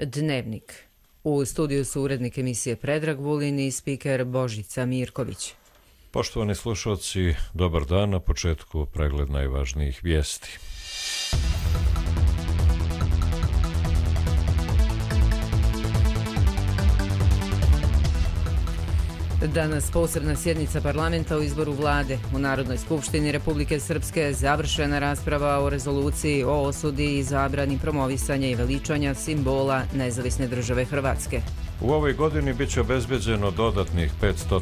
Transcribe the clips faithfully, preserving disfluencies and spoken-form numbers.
Dnevnik. U studiju su urednik emisije Predrag Vulin i spiker Božica Mirković. Poštovani slušalci, dobar dan. Na početku pregled najvažnijih vijesti. Danas posebna sjednica parlamenta o izboru vlade. U Narodnoj skupštini Republike Srpske završena rasprava o rezoluciji o osudi i zabrani promovisanja i veličanja simbola nezavisne države Hrvatske. U ovoj godini bit će obezbeđeno dodatnih petsto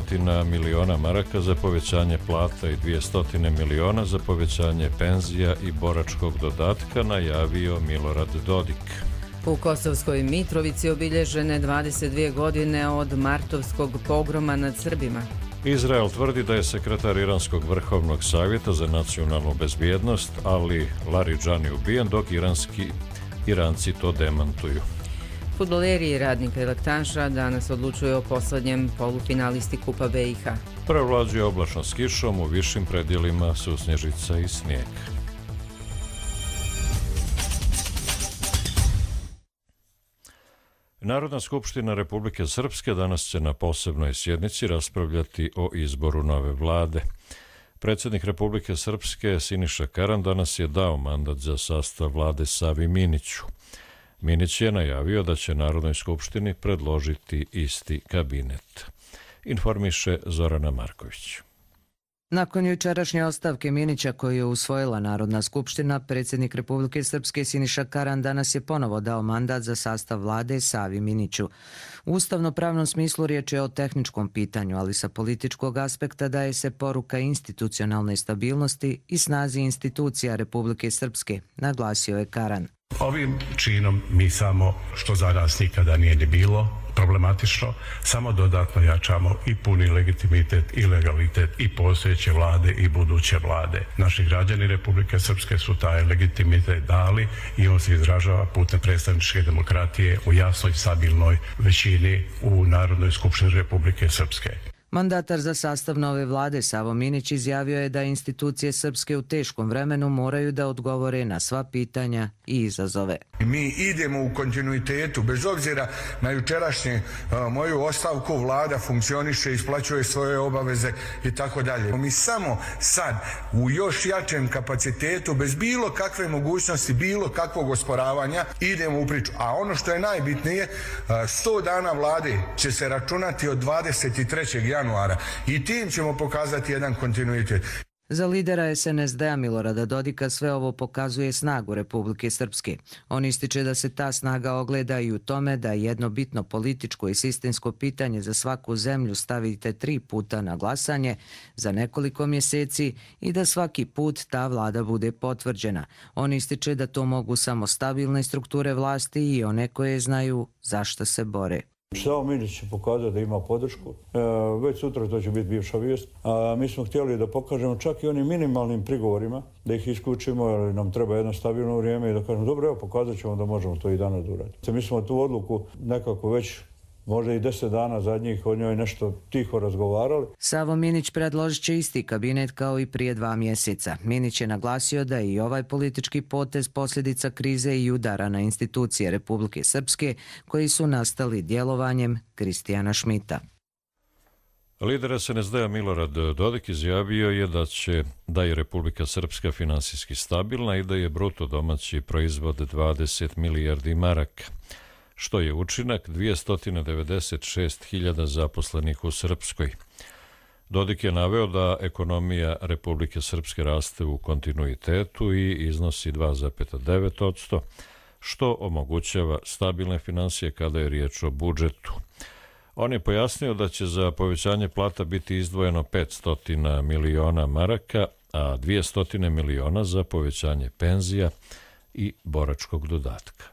miliona maraka za povećanje plata i dvjesto miliona za povećanje penzija i boračkog dodatka, najavio Milorad Dodik. U Kosovskoj Mitrovici obilježene dvadeset dvije godine od martovskog pogroma nad Srbima. Izrael tvrdi da je sekretar Iranskog vrhovnog savjeta za nacionalnu bezbjednost Ali Laridžani ubijen, dok iranski Iranci to demantuju. Fudbaleri i Radnika i Laktanša danas odlučuju o posljednjem polufinalisti Kupa B i H. Prevlađuje oblačno s kišom, u višim predjelima susnježica i snijeg. Narodna skupština Republike Srpske danas će na posebnoj sjednici raspravljati o izboru nove vlade. Predsjednik Republike Srpske Siniša Karan danas je dao mandat za sastav vlade Savi Miniću. Minić je najavio da će Narodnoj skupštini predložiti isti kabinet. Informiše Zorana Marković. Nakon jučerašnje ostavke Minića koju je usvojila Narodna skupština, predsjednik Republike Srpske Siniša Karan danas je ponovo dao mandat za sastav vlade Savi Miniću. U ustavno-pravnom smislu riječ je o tehničkom pitanju, ali sa političkog aspekta daje se poruka institucionalne stabilnosti i snazi institucija Republike Srpske, naglasio je Karan. Ovim činom mi samo, što za nas nikada nije ni bilo problematično, samo dodatno jačamo i puni legitimitet i legalitet i postojeće vlade i buduće vlade. Naši građani Republike Srpske su taj legitimitet dali i on se izražava putem predstavničke demokratije u jasnoj stabilnoj većini u Narodnoj skupštini Republike Srpske. Mandatar za sastav nove vlade Savo Minić izjavio je da institucije Srpske u teškom vremenu moraju da odgovore na sva pitanja i izazove. Mi idemo u kontinuitetu, bez obzira na jučerašnje uh, moju ostavku, vlada funkcioniše, isplaćuje svoje obaveze i tako dalje. Mi samo sad u još jačem kapacitetu, bez bilo kakve mogućnosti, bilo kakvog osporavanja, idemo u priču. A ono što je najbitnije, uh, sto dana vlade će se računati od dvadeset trećeg januara i tim ćemo pokazati jedan kontinuitet. Za lidera es en es de a Milorada Dodika sve ovo pokazuje snagu Republike Srpske. On ističe da se ta snaga ogleda i u tome da jedno bitno političko i sistemsko pitanje za svaku zemlju stavite tri puta na glasanje za nekoliko mjeseci i da svaki put ta vlada bude potvrđena. On ističe da to mogu samo stabilne strukture vlasti i one koje znaju zašto se bore. Savo Minić će pokazati da ima podršku. E, već sutra to će biti bivša vijest. A mi smo htjeli da pokažemo čak i onim minimalnim prigovorima, da ih isključimo, jer nam treba jedno stabilno vrijeme i da kažemo dobro, evo pokazat ćemo da možemo to i danas uraditi. Mi smo tu odluku nekako već možda i deset dana zadnjih od njoj nešto tiho razgovarali. Savo Minić predložit će isti kabinet kao i prije dva mjeseca. Minić je naglasio da je i ovaj politički potez posljedica krize i udara na institucije Republike Srpske koji su nastali djelovanjem Kristijana Šmita. Lider es en es de a Milorad Dodik izjavio je da će da je Republika Srpska finansijski stabilna i da je bruto domaći proizvod dvadeset milijardi maraka, što je učinak dvjesto devedeset šest hiljada zaposlenih u Srpskoj. Dodik je naveo da ekonomija Republike Srpske raste u kontinuitetu i iznosi dva zarez devet posto, što omogućava stabilne financije kada je riječ o budžetu. On je pojasnio da će za povećanje plata biti izdvojeno petsto miliona maraka, a dvjesto miliona za povećanje penzija i boračkog dodatka.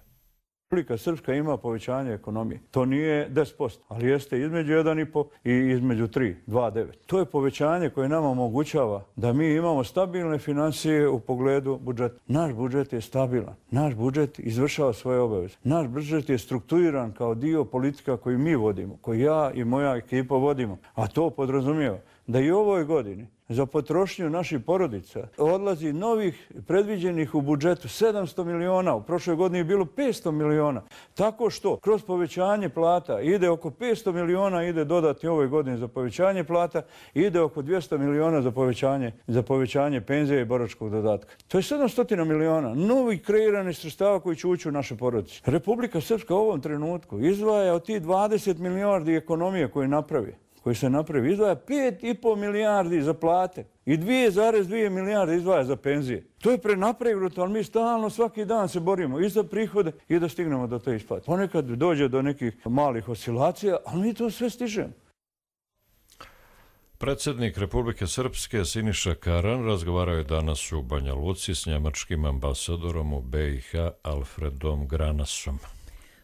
Republika Srpska ima povećanje ekonomije. To nije deset posto, ali jeste između jedan zarez pet i između tri, dva zarez devet. To je povećanje koje nama omogućava da mi imamo stabilne financije u pogledu budžeta. Naš budžet je stabilan. Naš budžet izvršava svoje obaveze. Naš budžet je strukturiran kao dio politika koju mi vodimo, koju ja i moja ekipa vodimo. A to podrazumijeva da i u ovoj godini za potrošnju naših porodica odlazi novih predviđenih u budžetu sedamsto miliona, u prošloj godini je bilo petsto miliona. Tako što kroz povećanje plata ide oko petsto miliona, ide dodatni ove godine za povećanje plata, ide oko dvjesto miliona za povećanje, za povećanje penzije i boračkog dodatka. To je sedamsto miliona novih kreiranih sredstava koji će ući u naše porodice. Republika Srpska u ovom trenutku izdvaja od tih dvadeset milijardi ekonomije koje napravi, koji se napravi, izdvaja pet i pol milijardi za plate i dvije zarez dvije milijarde izdvaja za penzije. To je prenapravljeno, ali mi stalno svaki dan se borimo i za prihode i da stignemo do te isplate. Ponekad dođe do nekih malih oscilacija, ali mi to sve stižemo. Predsjednik Republike Srpske Siniša Karan razgovarao je danas u Banja Luci s njemačkim ambasadorom u B i H Alfredom Granasom.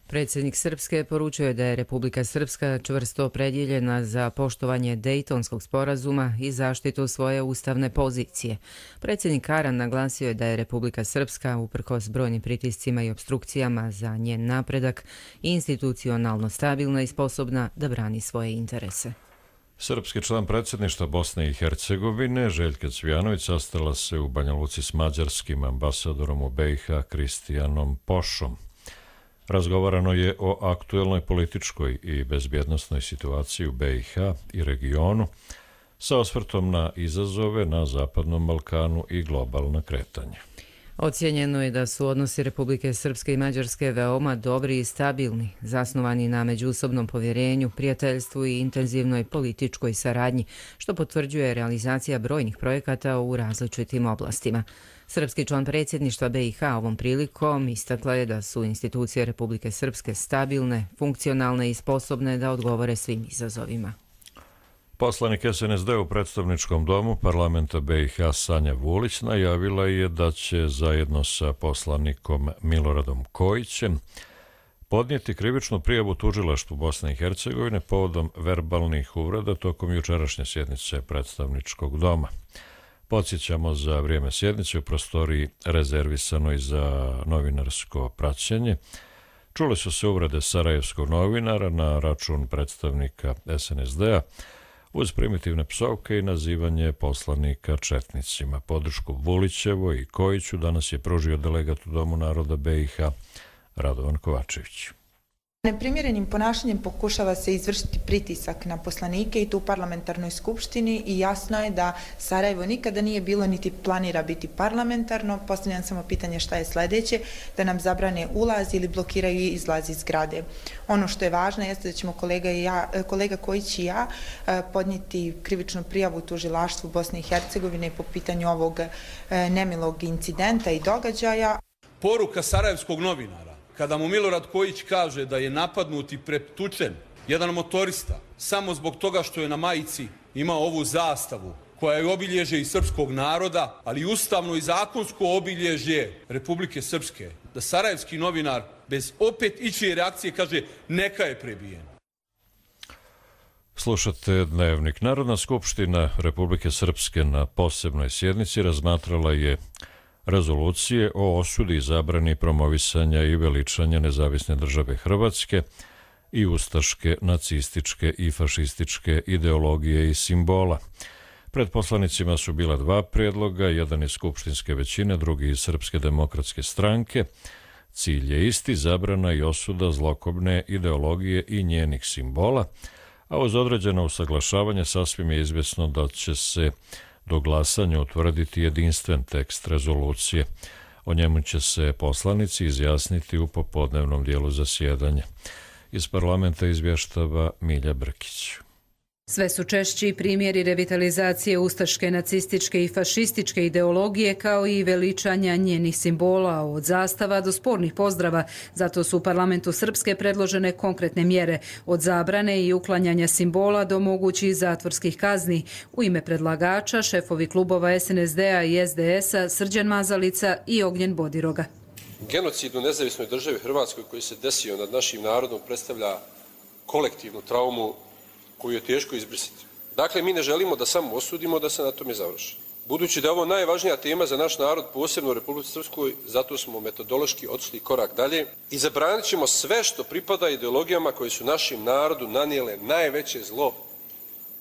Predsjednik Srpske poručio je da je Republika Srpska čvrsto opredjeljena za poštovanje Dejtonskog sporazuma i zaštitu svoje ustavne pozicije. Predsjednik Karan naglasio je da je Republika Srpska, uprkos brojnim pritiscima i opstrukcijama za njen napredak, institucionalno stabilna i sposobna da brani svoje interese. Srpski član predsjedništva Bosne i Hercegovine Željka Cvijanović sastala se u Banja Luci s mađarskim ambasadorom u B i H Kristijanom Pošom. Razgovarano je o aktuelnoj političkoj i bezbjednosnoj situaciji u B i H i regionu sa osvrtom na izazove na Zapadnom Balkanu i globalna kretanja. Ocijenjeno je da su odnosi Republike Srpske i Mađarske veoma dobri i stabilni, zasnovani na međusobnom povjerenju, prijateljstvu i intenzivnoj političkoj saradnji, što potvrđuje realizacija brojnih projekata u različitim oblastima. Srpski član predsjedništva B i H ovom prilikom istakla je da su institucije Republike Srpske stabilne, funkcionalne i sposobne da odgovore svim izazovima. Poslanik S N S D u predstavničkom domu parlamenta B i H Sanja Vulić najavila je da će zajedno sa poslanikom Miloradom Kojićem podnijeti krivičnu prijavu tužilaštvu Bosne i Hercegovine povodom verbalnih uvreda tokom jučerašnje sjednice predstavničkog doma. Podsjećamo, za vrijeme sjednice u prostoriji rezervisanoj za novinarsko praćenje čule su se uvrede sarajevskog novinara na račun predstavnika S N S D-a uz primitivne psovke i nazivanje poslanika četnicima. Podršku Vulićevo i Kojiću danas je pružio delegat u Domu naroda B i H Radovan Kovačević. Neprimjerenim ponašanjem pokušava se izvršiti pritisak na poslanike i tu u parlamentarnoj skupštini i jasno je da Sarajevo nikada nije bilo niti planira biti parlamentarno. Postavljam samo pitanje šta je sljedeće, da nam zabrane ulaz ili blokiraju izlaz iz zgrade. Ono što je važno jeste da ćemo kolega, i ja, kolega Kojić i ja podnijeti krivičnu prijavu tužilaštvu Bosne i Hercegovine po pitanju ovog nemilog incidenta i događaja. Poruka sarajevskog novinara, kada mu Milorad Kojić kaže da je napadnut i pretučen jedan motorista samo zbog toga što je na majici imao ovu zastavu koja je obilježje i srpskog naroda, ali i ustavno i zakonsko obilježje Republike Srpske, da sarajevski novinar bez opet ičije reakcije kaže neka je prebijen. Slušate Dnevnik. Narodna skupština Republike Srpske na posebnoj sjednici razmatrala je rezolucije o osudi i zabrani promovisanja i veličanja nezavisne države Hrvatske i ustaške, nacističke i fašističke ideologije i simbola. Pred poslanicima su bila dva prijedloga, jedan iz skupštinske većine, drugi iz Srpske demokratske stranke. Cilj je isti, zabrana i osuda zlokobne ideologije i njenih simbola, a uz određeno usaglašavanje sasvim je izvjesno da će se do glasanja utvrditi jedinstven tekst rezolucije. O njemu će se poslanici izjasniti u popodnevnom dijelu zasjedanja. Iz parlamenta izvještava Milja Brkić. Sve su češći primjeri revitalizacije ustaške, nacističke i fašističke ideologije kao i veličanja njenih simbola, od zastava do spornih pozdrava. Zato su u parlamentu Srpske predložene konkretne mjere, od zabrane i uklanjanja simbola do mogućih zatvorskih kazni. U ime predlagača šefovi klubova S N S D-a i S D S-a Srđan Mazalica i Ognjen Bodiroga. Genocid u nezavisnoj državi Hrvatskoj koji se desio nad našim narodom predstavlja kolektivnu traumu koju je teško izbrisati. Dakle, mi ne želimo da samo osudimo, da se na tome završi. Budući da je ovo najvažnija tema za naš narod, posebno u Republici Srpskoj, zato smo metodološki otišli korak dalje i zabranit ćemo sve što pripada ideologijama koje su našim narodu nanijele najveće zlo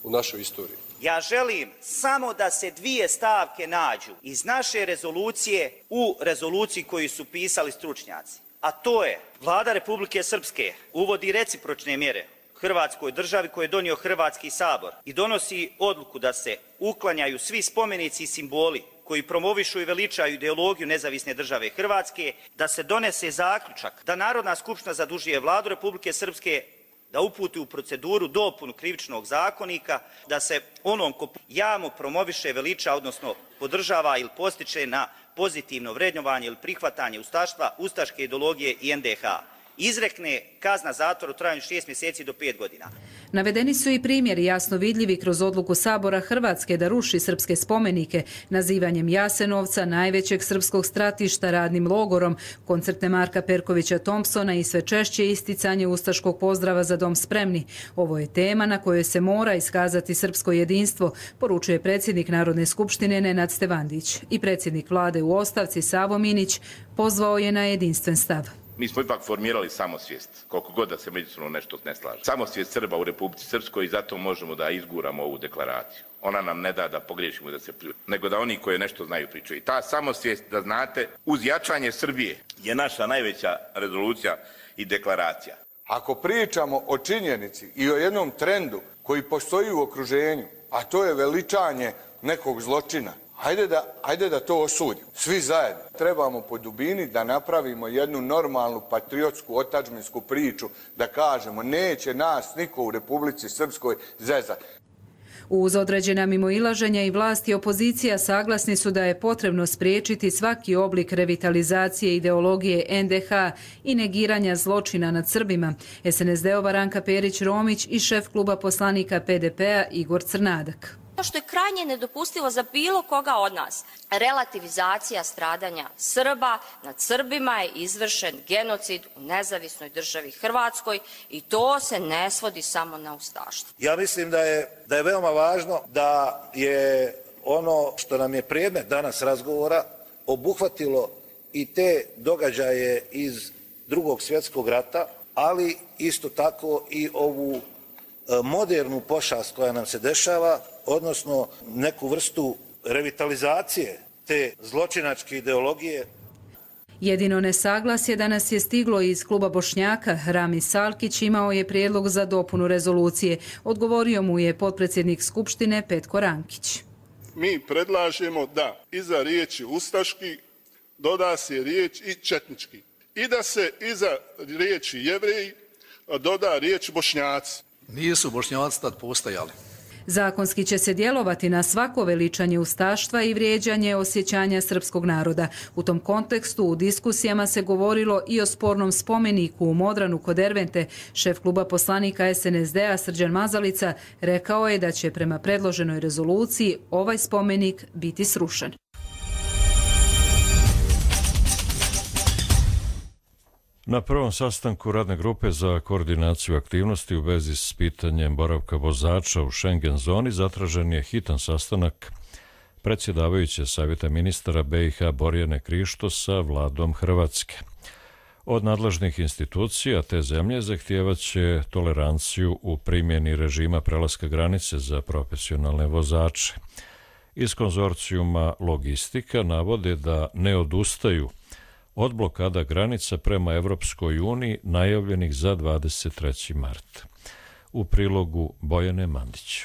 u našoj istoriji. Ja želim samo da se dvije stavke nađu iz naše rezolucije u rezoluciji koju su pisali stručnjaci. A to je, Vlada Republike Srpske uvodi recipročne mjere Hrvatskoj državi koje je donio Hrvatski sabor i donosi odluku da se uklanjaju svi spomenici i simboli koji promovišu i veličaju ideologiju nezavisne države Hrvatske, da se donese zaključak da Narodna skupština zadužuje Vladu Republike Srpske da uputi u proceduru dopunu krivičnog zakonika, da se onom ko javno promoviše, veliča, odnosno podržava ili postiče na pozitivno vrednovanje ili prihvatanje ustaštva, ustaške ideologije i en de ha. Izrekne kazna zatvora u trajanju šest mjeseci do pet godina. Navedeni su i primjeri jasno vidljivi kroz odluku Sabora Hrvatske da ruši srpske spomenike, nazivanjem Jasenovca, najvećeg srpskog stratišta, radnim logorom, koncerte Marka Perkovića Thompsona i sve češće isticanje ustaškog pozdrava za dom spremni. Ovo je tema na kojoj se mora iskazati srpsko jedinstvo, poručuje predsjednik Narodne skupštine Nenad Stevandić. I predsjednik vlade u ostavci Savo Minić pozvao je na jedinstven stav. Mi smo ipak formirali samosvijest, koliko god da se međusobno nešto ne slaže. Samosvijest Srba u Republici Srpskoj i zato možemo da izguramo ovu deklaraciju. Ona nam ne da da pogriješimo i da se pljuju, nego da oni koji nešto znaju pričaju. I ta samosvijest, da znate, uz jačanje Srbije je naša najveća rezolucija i deklaracija. Ako pričamo o činjenici i o jednom trendu koji postoji u okruženju, a to je veličanje nekog zločina, Hajde da, hajde da to osudimo. Svi zajedno. Trebamo po dubini da napravimo jednu normalnu patriotsku otadžbinsku priču, da kažemo neće nas niko u Republici Srpskoj zezati. Uz određena mimoilaženja i vlast i opozicija saglasni su da je potrebno spriječiti svaki oblik revitalizacije ideologije en de ha i negiranja zločina nad Srbima. es en es de-ova Ranka Perić-Romić i šef kluba poslanika pe de pe-a Igor Crnadak. Što je krajnje nedopustivo za bilo koga od nas. Relativizacija stradanja Srba nad Srbima je izvršen genocid u nezavisnoj državi Hrvatskoj i to se ne svodi samo na ustaštvo. Ja mislim da je, da je veoma važno da je ono što nam je predmet danas razgovora obuhvatilo i te događaje iz Drugog svjetskog rata, ali isto tako i ovu modernu pošast koja nam se dešava, odnosno neku vrstu revitalizacije te zločinačke ideologije. Jedino nesaglasje danas je stiglo iz kluba Bošnjaka. Rami Salkić imao je prijedlog za dopunu rezolucije. Odgovorio mu je potpredsjednik Skupštine Petko Rankić. Mi predlažemo da iza riječi ustaški doda se riječ i četnički i da se iza riječi jevreji doda riječ Bošnjaci. Nisu Bošnjaci tad postojali. Zakonski će se djelovati na svako veličanje ustaštva i vrijeđanje osjećanja srpskog naroda. U tom kontekstu u diskusijama se govorilo i o spornom spomeniku u Modranu kod Ervente. Šef kluba poslanika es en es de-a Srđan Mazalica rekao je da će prema predloženoj rezoluciji ovaj spomenik biti srušen. Na prvom sastanku radne grupe za koordinaciju aktivnosti u vezi s pitanjem boravka vozača u Schengen zoni zatražen je hitan sastanak predsjedavajuće Savjeta ministara be i ha Borjane Krišto sa vladom Hrvatske. Od nadležnih institucija te zemlje zahtijevaće toleranciju u primjeni režima prelaska granice za profesionalne vozače. Iz konzorcijuma Logistika navode da ne odustaju od blokada granica prema Evropskoj uniji najavljenih za dvadeset treći mart. U prilogu Bojane Mandić.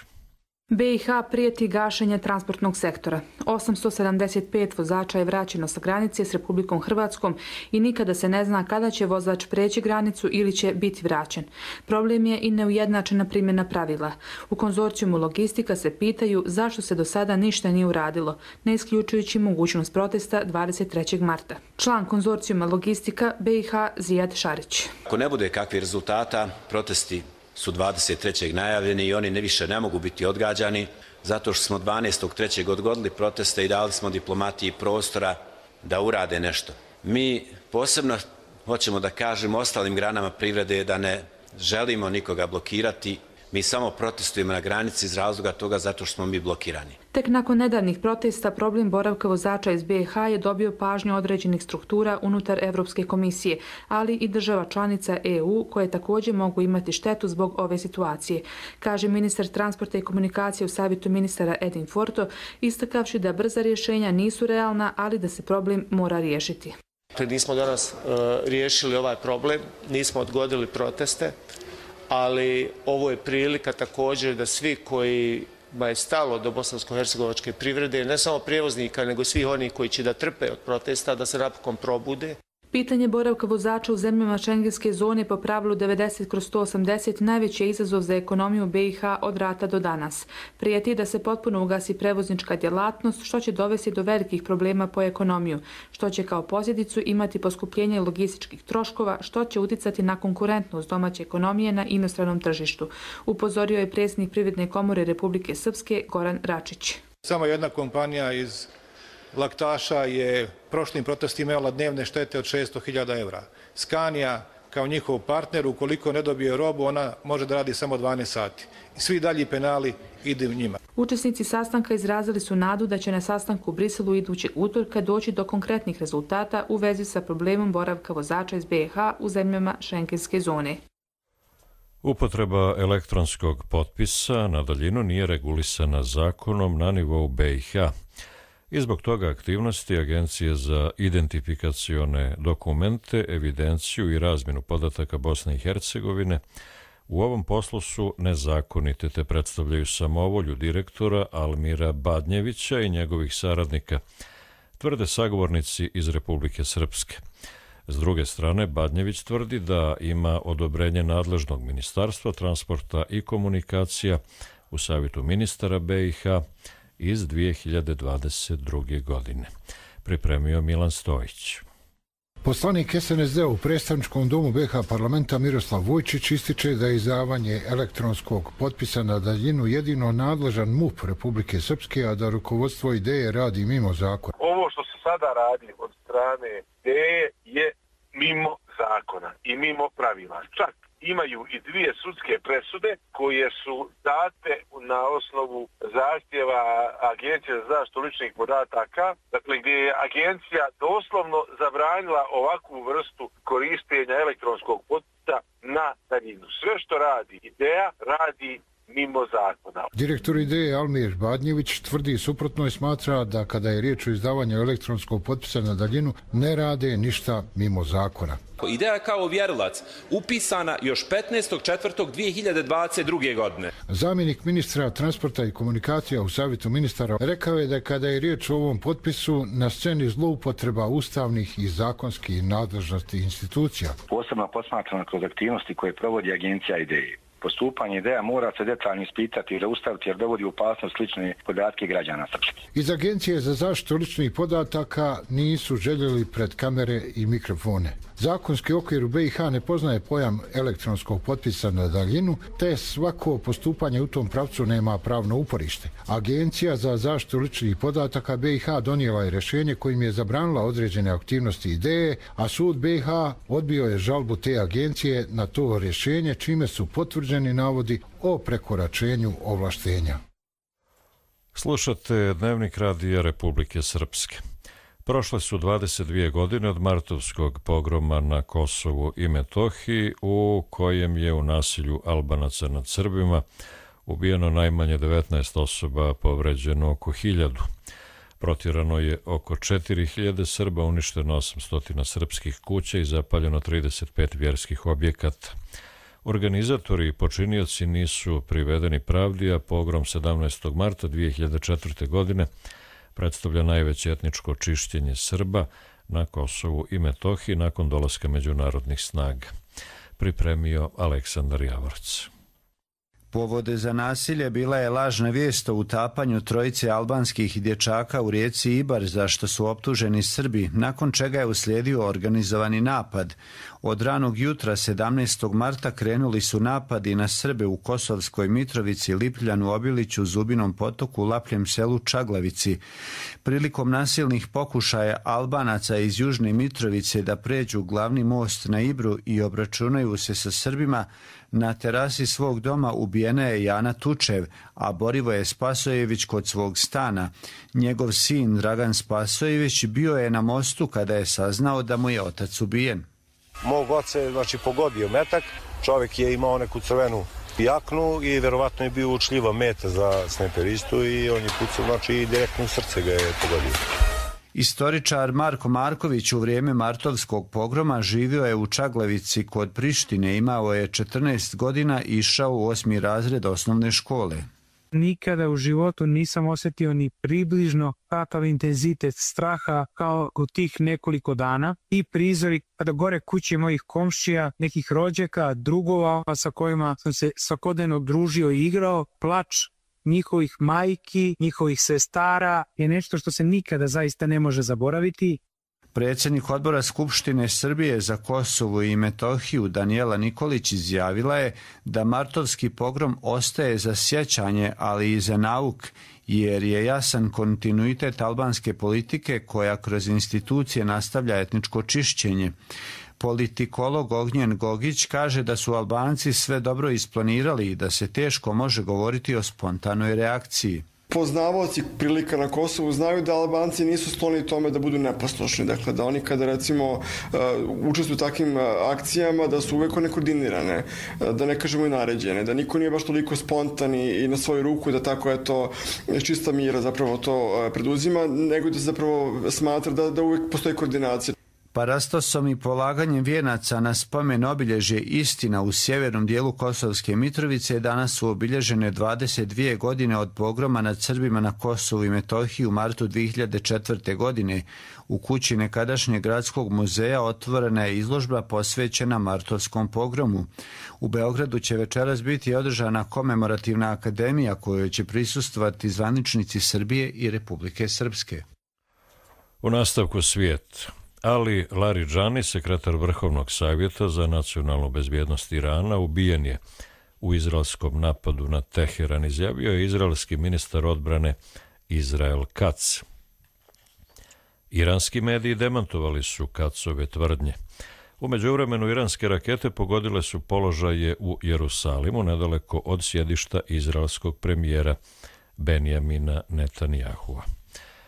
be i ha prijeti gašenje transportnog sektora. osamsto sedamdeset pet vozača je vraćeno sa granice s Republikom Hrvatskom i nikada se ne zna kada će vozač preći granicu ili će biti vraćen. Problem je i neujednačena primjena pravila. U konzorcijumu Logistika se pitaju zašto se do sada ništa nije uradilo, ne isključujući mogućnost protesta dvadeset trećeg marta. Član konzorcijuma Logistika be i ha Zijad Šarić. Ako ne bude kakvih rezultata, protesti su dvadeset trećeg najavljeni i oni ne više ne mogu biti odgađani zato što smo dvanaestog trećeg odgodili proteste i dali smo diplomatiji prostora da urade nešto. Mi posebno hoćemo da kažemo ostalim granama privrede da ne želimo nikoga blokirati, Mi samo protestujemo na granici iz razloga toga zato što smo mi blokirani. Tek nakon nedavnih protesta problem boravka vozača iz be ha je dobio pažnju određenih struktura unutar Evropske komisije, ali i država članica e u koje također mogu imati štetu zbog ove situacije, kaže ministar transporta i komunikacije u savjetu ministara Edin Forto, istakavši da brza rješenja nisu realna, ali da se problem mora riješiti. Nismo danas uh, riješili ovaj problem, nismo odgodili proteste, ali ovo je prilika također da svi kojima je stalo do bosansko-hercegovačke privrede, ne samo prijevoznika, nego svih onih koji će da trpe od protesta, da se napokon probude. Pitanje boravka vozača u zemljama šengenske zone po pravilu devedeset kroz sto osamdeset najveći je izazov za ekonomiju be i ha od rata do danas. Prijeti da se potpuno ugasi prevoznička djelatnost, što će dovesti do velikih problema po ekonomiju, što će kao posljedicu imati poskupljenje logističkih troškova, što će uticati na konkurentnost domaće ekonomije na inostranom tržištu, upozorio je predsjednik Privredne komore Republike Srpske Goran Račić. Samo jedna kompanija iz Laktaša je prošlim protestima imala dnevne štete od šesto hiljada eura. Scania kao njihov partner, ukoliko ne dobije robu, ona može da radi samo dvanaest sati. I svi dalji penali idu njima. Učesnici sastanka izrazili su nadu da će na sastanku u Briselu idućeg utorka doći do konkretnih rezultata u vezi sa problemom boravka vozača iz be ha u zemljama šengenske zone. Upotreba elektronskog potpisa na daljinu nije regulisana zakonom na nivou be i ha. I zbog toga aktivnosti Agencije za identifikacione dokumente, evidenciju i razmjenu podataka Bosne i Hercegovine u ovom poslu su nezakonite, te predstavljaju samovolju direktora Almira Badnjevića i njegovih saradnika, tvrde sagovornici iz Republike Srpske. S druge strane, Badnjević tvrdi da ima odobrenje nadležnog Ministarstva transporta i komunikacija u savjetu ministara be i ha iz dvije hiljade dvadeset druge. godine. Pripremio Milan Stojić. Poslanik es en es de u predstavničkom domu be ha parlamenta Miroslav Vojčić ističe da je izdavanje elektronskog potpisa na daljinu jedino nadležan M U P Republike Srpske, a da rukovodstvo ideje radi mimo zakona. Ovo što se sada radi od strane ideje je mimo zakona i mimo pravila. Čak imaju i dvije sudske presude koje su date na osnovu zahtjeva Agencije za zaštitu ličnih podataka, dakle gdje je agencija doslovno zabranila ovakvu vrstu korištenja elektronskog potpisa na daljinu. Sve što radi ideja radi mimo zakona. Direktor ideje Almir Badnjević tvrdi suprotno i smatra da kada je riječ o izdavanju elektronskog potpisa na daljinu ne rade ništa mimo zakona. Ideja kao ovjerilac upisana još petnaestog četvrtog dvije hiljade dvadeset druge. godine. Zamjenik ministra transporta i komunikacija u savjetu ministara rekao je da kada je riječ o ovom potpisu na sceni zloupotreba ustavnih i zakonskih nadležnosti institucija. Posebno posmatrano kroz aktivnosti koje provodi agencija ideje. Postupanje ideja mora se detaljno ispitati i zaustaviti jer dovodi u opasnost lične podatke građana Srpske. Iz Agencije za zaštitu ličnih podataka nisu željeli pred kamere i mikrofone. Zakonski okvir u be i ha ne poznaje pojam elektronskog potpisa na daljinu, te svako postupanje u tom pravcu nema pravno uporište. Agencija za zaštitu ličnih podataka be i ha donijela je rješenje kojim je zabranila određene aktivnosti ideje, a sud be i ha odbio je žalbu te agencije na to rješenje, čime su potvrđeni navodi o prekoračenju ovlaštenja. Slušate Dnevnik radija Republike Srpske. Prošle su dvadeset dvije godine od martovskog pogroma na Kosovu i Metohiji, u kojem je u nasilju Albanaca nad Srbima ubijeno najmanje devetnaest osoba, povređeno oko hiljadu. Protjerano je oko četiri hiljade Srba, uništeno osamsto srpskih kuća i zapaljeno trideset pet vjerskih objekata. Organizatori i počinioci nisu privedeni pravdi, a pogrom sedamnaestog marta dvije hiljade četvrte. godine predstavlja najveće etničko čišćenje Srba na Kosovu i Metohiji nakon dolaska međunarodnih snaga. Pripremio Aleksandar Javorac. Povod za nasilje bila je lažna vijest o utapanju trojice albanskih dječaka u rijeci Ibar, za što su optuženi Srbi, nakon čega je uslijedio organizovani napad. Od ranog jutra sedamnaestog marta krenuli su napadi na Srbe u Kosovskoj Mitrovici, Lipljanu, Obiliću, Zubinom potoku, Lapljem selu, Čaglavici. Prilikom nasilnih pokušaja Albanaca iz Južne Mitrovice da pređu glavni most na Ibru i obračunaju se sa Srbima, Na terasi svog doma ubijena je Jana Tučev, a Borivoje Spasojević kod svog stana. Njegov sin Dragan Spasojević bio je na mostu kada je saznao da mu je otac ubijen. Mog oca je znači, pogodio metak, čovjek je imao neku crvenu jaknu i verovatno je bio učljiva meta za snajperistu i on je pucao, znači i direktno u srce ga je pogodio. Istoričar Marko Marković u vrijeme martovskog pogroma živio je u Čaglavici kod Prištine, imao je četrnaest godina i išao u osmi razred osnovne škole. Nikada u životu nisam osjetio ni približno kakav intenzitet straha kao u tih nekoliko dana i prizori kada gore kuće mojih komšija, nekih rođaka, drugova sa kojima sam se svakodnevno družio i igrao, plač njihovih majki, njihovih sestara je nešto što se nikada zaista ne može zaboraviti. Predsjednik odbora Skupštine Srbije za Kosovo i Metohiju Danijela Nikolić izjavila je da martovski pogrom ostaje za sjećanje, ali i za nauk, jer je jasan kontinuitet albanske politike koja kroz institucije nastavlja etničko čišćenje. Politikolog Ognjen Gogić kaže da su Albanci sve dobro isplanirali i da se teško može govoriti o spontanoj reakciji. Poznavaoci prilika na Kosovu znaju da Albanci nisu skloni tome da budu neposlušni. Dakle, da oni kada recimo uh, učestvuju u takvim uh, akcijama, da su uvek one koordinirane, uh, da ne kažemo i naređene, da niko nije baš toliko spontan i, i na svoju ruku da tako eto čista mira zapravo to uh, preduzima, nego da se zapravo smatra da, da uvek postoji koordinacija. Parastosom i polaganjem vijenaca na spomen obilježje Istina u sjevernom dijelu Kosovske Mitrovice danas su obilježene dvadeset dvije godine od pogroma nad Srbima na Kosovu i Metohiji u martu dvije hiljade četvrte. godine. U kući nekadašnjeg gradskog muzeja otvorena je izložba posvećena martovskom pogromu. U Beogradu će večeras biti održana komemorativna akademija kojoj će prisustvovati zvaničnici Srbije i Republike Srpske. U nastavku svijet. Ali Laridžani, sekretar Vrhovnog savjeta za nacionalnu bezbjednost Irana, ubijen je u izraelskom napadu na Teheran, izjavio je izraelski ministar odbrane Israel Katz. Iranski mediji demantovali su Katzove tvrdnje. U međuvremenu iranske rakete pogodile su položaje u Jerusalimu, nedaleko od sjedišta izraelskog premijera Benjamina Netanjahua.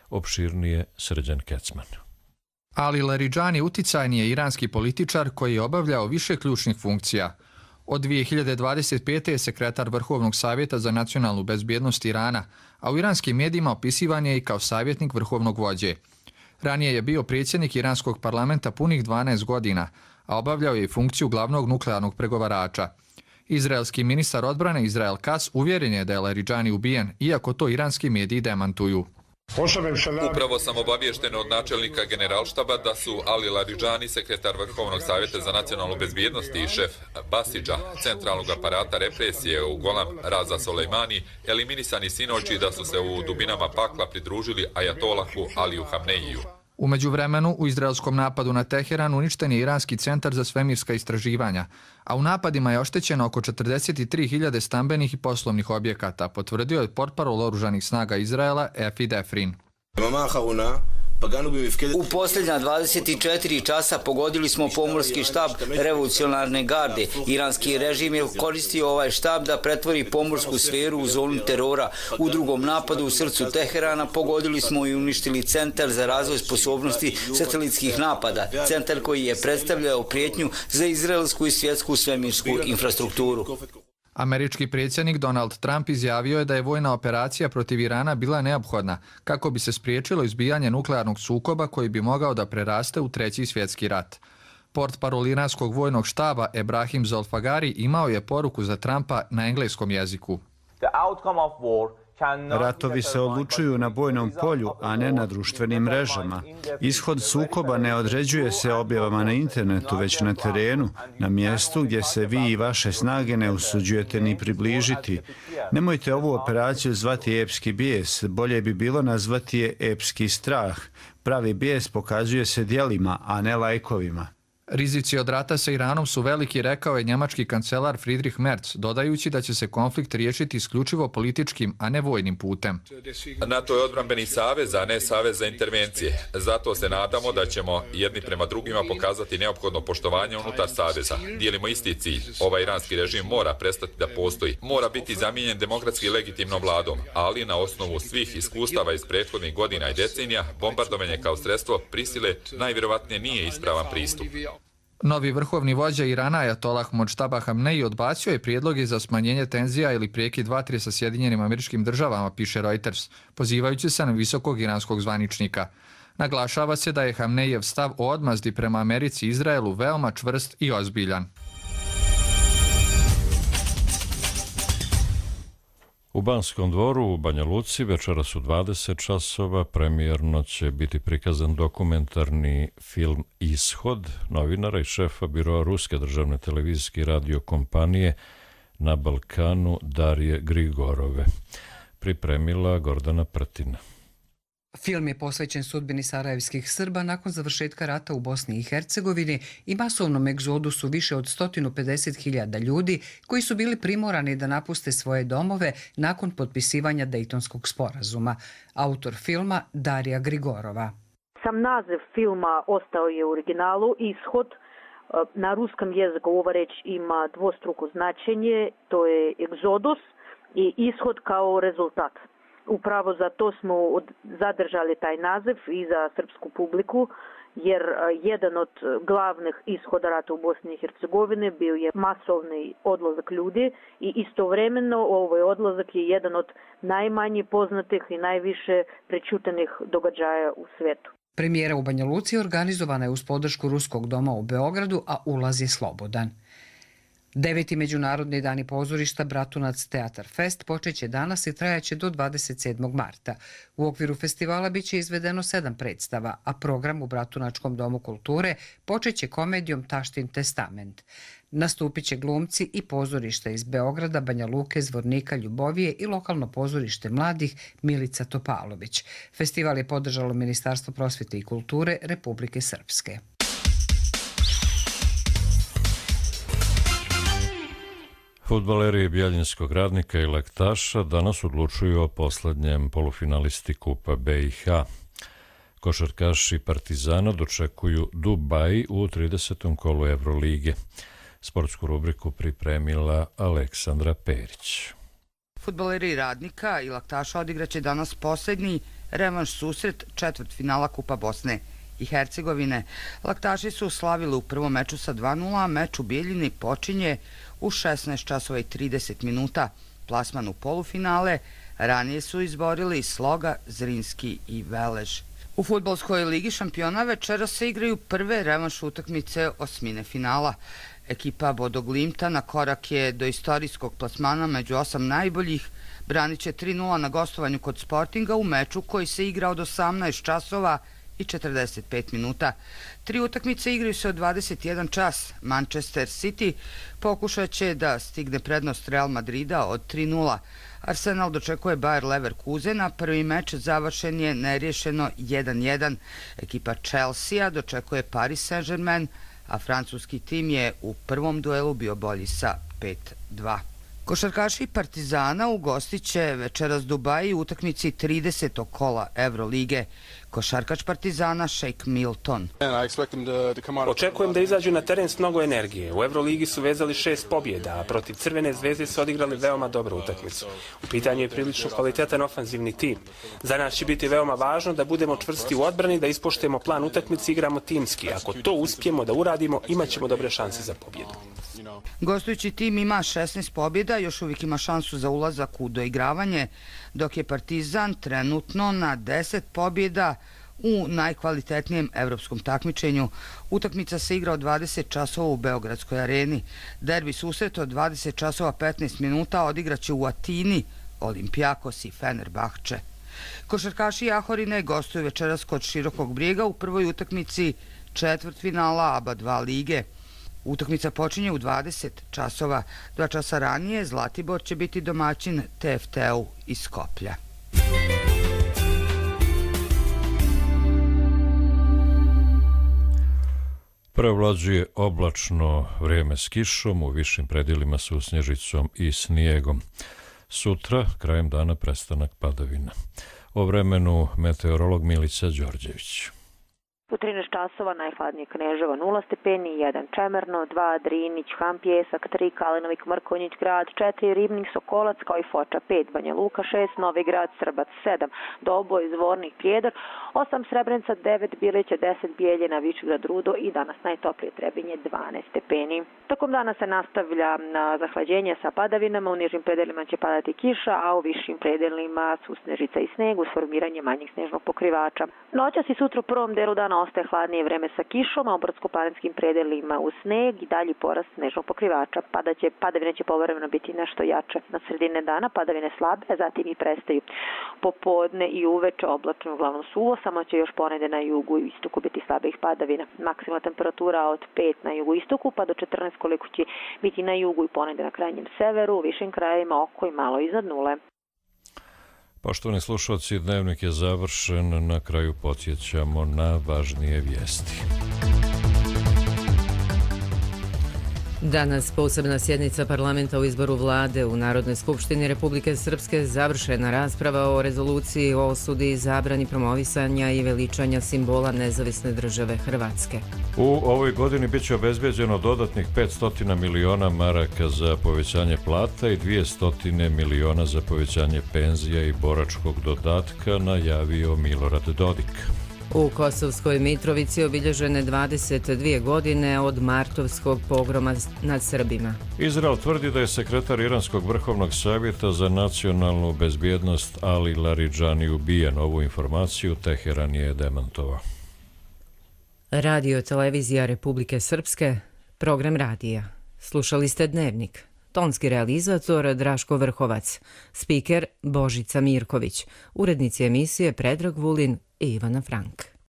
Opširnije Srđan Kecman. Ali Laridžani uticajni je iranski političar koji je obavljao više ključnih funkcija. Od dvije hiljade dvadeset pete. je sekretar Vrhovnog savjeta za nacionalnu bezbjednost Irana, a u iranskim medijima opisivan je i kao savjetnik vrhovnog vođe. Ranije je bio predsjednik iranskog parlamenta punih dvanaest godina, a obavljao je i funkciju glavnog nuklearnog pregovarača. Izraelski ministar odbrane Israel Katz uvjeren je da je Laridžani ubijen, iako to iranski mediji demantuju. Upravo sam obaviješten od načelnika generalštaba da su Ali Laridžani, sekretar Vrhovnog savjeta za nacionalnu bezbjednost i šef Basidža, centralnog aparata represije u Golan Raza Soleimani, eliminisani sinoći da su se u dubinama pakla pridružili ajatolahu Aliju Hamneiju. U međuvremenu, u izraelskom napadu na Teheran uništen je Iranski centar za svemirska istraživanja, a u napadima je oštećeno oko četrdeset tri hiljade stambenih i poslovnih objekata, potvrdio je portparol oružanih snaga Izraela Efi Defrin. U posljednja dvadeset četiri časa pogodili smo pomorski štab revolucionarne garde. Iranski režim je koristio ovaj štab da pretvori pomorsku sferu u zonu terora. U drugom napadu u srcu Teherana pogodili smo i uništili centar za razvoj sposobnosti satelitskih napada. Centar koji je predstavljao prijetnju za izraelsku i svjetsku svemirsku infrastrukturu. Američki predsjednik Donald Trump izjavio je da je vojna operacija protiv Irana bila neophodna kako bi se spriječilo izbijanje nuklearnog sukoba koji bi mogao da preraste u treći svjetski rat. Portparol iranskog vojnog štaba Ebrahim Zolfagari imao je poruku za Trumpa na engleskom jeziku. Ratovi se odlučuju na bojnom polju, a ne na društvenim mrežama. Ishod sukoba ne određuje se objavama na internetu, već na terenu, na mjestu gdje se vi i vaše snage ne usuđujete ni približiti. Nemojte ovu operaciju zvati epski bijes, bolje bi bilo nazvati je epski strah. Pravi bijes pokazuje se djelima, a ne lajkovima. Rizici od rata sa Iranom su veliki, rekao je njemački kancelar Friedrich Merz, dodajući da će se konflikt riješiti isključivo političkim, a ne vojnim putem. NATO je odbrambeni savez, a ne savez za intervencije. Zato se nadamo da ćemo jedni prema drugima pokazati neophodno poštovanje unutar saveza. Dijelimo isti cilj. Ovaj iranski režim mora prestati da postoji. Mora biti zamijenjen demokratski legitimnom vladom, ali na osnovu svih iskustava iz prethodnih godina i decenija, bombardovanje kao sredstvo prisile najvjerovatnije nije ispravan pristup. Novi vrhovni vođa Irana Ajatolah Modžtaba Hamneji odbacio je prijedloge za smanjenje tenzija ili prekid vatre sa Sjedinjenim Američkim Državama, piše Reuters, pozivajući se na visokog iranskog zvaničnika. Naglašava se da je Hamnejijev stav o odmazdi prema Americi i Izraelu veoma čvrst i ozbiljan. U Banskom dvoru u Banja Luci večeras u dvadeset časova premijerno će biti prikazan dokumentarni film Ishod novinara i šefa biroa Ruske državne televizijske i radio kompanije na Balkanu Darije Grigorove. Pripremila Gordana Prtina. Film je posvećen sudbini sarajevskih Srba nakon završetka rata u Bosni i Hercegovini i masovnom egzodusu više od sto pedeset hiljada ljudi koji su bili primorani da napuste svoje domove nakon potpisivanja Dejtonskog sporazuma. Autor filma Darija Grigorova. Sam naziv filma ostao je u originalu Ishod. Na ruskom jeziku ova reč ima dvostruko značenje, to je egzodus i ishod kao rezultat. Upravo zato smo zadržali taj naziv i za srpsku publiku, jer jedan od glavnih ishoda rata u Bosni i Hercegovini bio je masovni odlazak ljudi i istovremeno ovaj odlazak je jedan od najmanje poznatih i najviše prečutenih događaja u svijetu. Premijera u Banja Luci organizovana je uz podršku Ruskog doma u Beogradu, a ulaz je slobodan. Deveti međunarodni dani pozorišta Bratunac Teatar Fest počeće danas i trajaće do dvadeset sedmog marta. U okviru festivala biće izvedeno sedam predstava, a program u Bratunačkom domu kulture počeće komedijom Taštin testament. Nastupit će glumci i pozorišta iz Beograda, Banja Luke, Zvornika, Ljubovije i lokalno pozorište mladih Milica Topalović. Festival je podržalo Ministarstvo prosvjete i kulture Republike Srpske. Fudbaleri Bjeljinskog Radnika i Laktaša danas odlučuju o poslednjem polufinalisti Kupa B i H. Košarkaši Partizana dočekuju Dubaj u tridesetom kolu Evrolige. Sportsku rubriku pripremila Aleksandra Perić. Fudbaleri Radnika i Laktaša odigraće danas posljednji revanš susret četvrtfinala Kupa Bosne i Hercegovine. Laktaši su slavili u prvom meču sa dva nula, a meč u Bijeljini počinje u šesnaest časova i trideset minuta. Plasman u polufinale ranije su izborili Sloga, Zrinski i Velež. U fudbalskoj ligi šampiona večera se igraju prve revanš utakmice osmine finala. Ekipa Bodoglimta na korak je do istorijskog plasmana među osam najboljih. Branit će tri nula na gostovanju kod Sportinga u meču koji se igra od osamnaest časova i četrdeset pet minuta. Tri utakmice igraju se od dvadeset jedan čas. Manchester City pokušat će da stigne prednost Real Madrida od tri nula. Arsenal dočekuje Bayer Leverkusena, prvi meč završen je neriješeno jedan jedan. Ekipa Chelsea dočekuje Paris Saint-Germain, a francuski tim je u prvom duelu bio bolji sa pet dva. Košarkaši Partizana ugostit će večeras Dubaji u utakmici tridesetog kola Evrolige. Košarkač Partizana Sheikh Milton. Očekujem da izađu na teren s mnogo energije. U Evroligi su vezali šest pobjeda, a protiv Crvene zvezde su odigrali veoma dobru utakmicu. U pitanju je prilično kvalitetan ofanzivni tim. Za nas će biti veoma važno da budemo čvrsti u odbrani, da ispoštujemo plan utakmice i igramo timski. Ako to uspijemo da uradimo, imat ćemo dobre šanse za pobjedu. Gostujući tim ima šesnaest pobjeda, još uvijek ima šansu za ulazak u doigravanje, dok je Partizan trenutno na deset pobjeda u najkvalitetnijem evropskom takmičenju. Utakmica se igra od dvadeset časova u Beogradskoj areni. Derbi susret od dvadeset časova petnaest minuta odigraće u Atini Olimpijakos i Fenerbahče. Košarkaši Jahorine gostuju večeras kod Širokog Brijega u prvoj utakmici četvrtfinala A B A dva lige. Utakmica počinje u dvadeset časova. Dva časa ranije Zlatibor će biti domaćin T F T-u iz Skoplja. Prevlađuje oblačno vrijeme s kišom, u višim predjelima su snježicom i snijegom. Sutra, krajem dana, prestanak padavina. O vremenu meteorolog Milica Đorđević. U trinaest časova najhladnije Kneževo nula stepeni, jedan Čemerno, dva Drinić, Ham Pjesak, tri Kalinovik, Mrkonjić grad, četiri Ribnik, Sokolac kao i Foča, pet Banja Luka, šest Novi grad, Srbac, sedam Doboj, Zvornik, Prijedor, osam Srebrenica, devet Bilića, deset Bijeljina, Višegrad, Rudo i danas najtoplije Trebinje dvanaest stepeni. Tokom dana se nastavlja na zahlađenje sa padavinama, u nižim predelima će padati kiša, a u višim predelima su snježica i sneg uz formiranje manjih snježnog pokrivača. Noćas i sutra u prvom delu dana ostaje hladnije vreme sa kišom, a u brdsko-planinskim predelima u sneg i dalji porast snežnog pokrivača. Padaće, padavine će povremeno biti nešto jače. Na sredine dana padavine slabe, a zatim i prestaju. Popodne i uveče oblačno uglavnom suvo, samo će još ponede na jugu i istoku biti slabih padavina. Maksimalna temperatura od pet na jugu istoku pa do četrnaest koliko će biti na jugu i ponede na krajnjem severu, u višim krajevima oko i malo iznad nule. Poštovani slušalci, dnevnik je završen, na kraju podsjećamo na važnije vijesti. Danas posebna sjednica parlamenta o izboru vlade u Narodnoj skupštini Republike Srpske, završena rasprava o rezoluciji o osudi i zabrani promovisanja i veličanja simbola nezavisne države Hrvatske. U ovoj godini biće obezbeđeno dodatnih petsto miliona maraka za povećanje plata i dvjesto miliona za povećanje penzija i boračkog dodatka, najavio Milorad Dodik. U Kosovskoj Mitrovici obilježene dvadeset dvije godine od martovskog pogroma nad Srbima. Izrael tvrdi da je sekretar Iranskog vrhovnog savjeta za nacionalnu bezbjednost Ali Laridžani ubijen. Ovu informaciju Teheran je demantovao. Radio televizija Republike Srpske, program radija. Slušali ste Dnevnik. Tonski realizator Draško Vrhovac, spiker Božica Mirković, urednici emisije Predrag Vulin i Ivana Frank.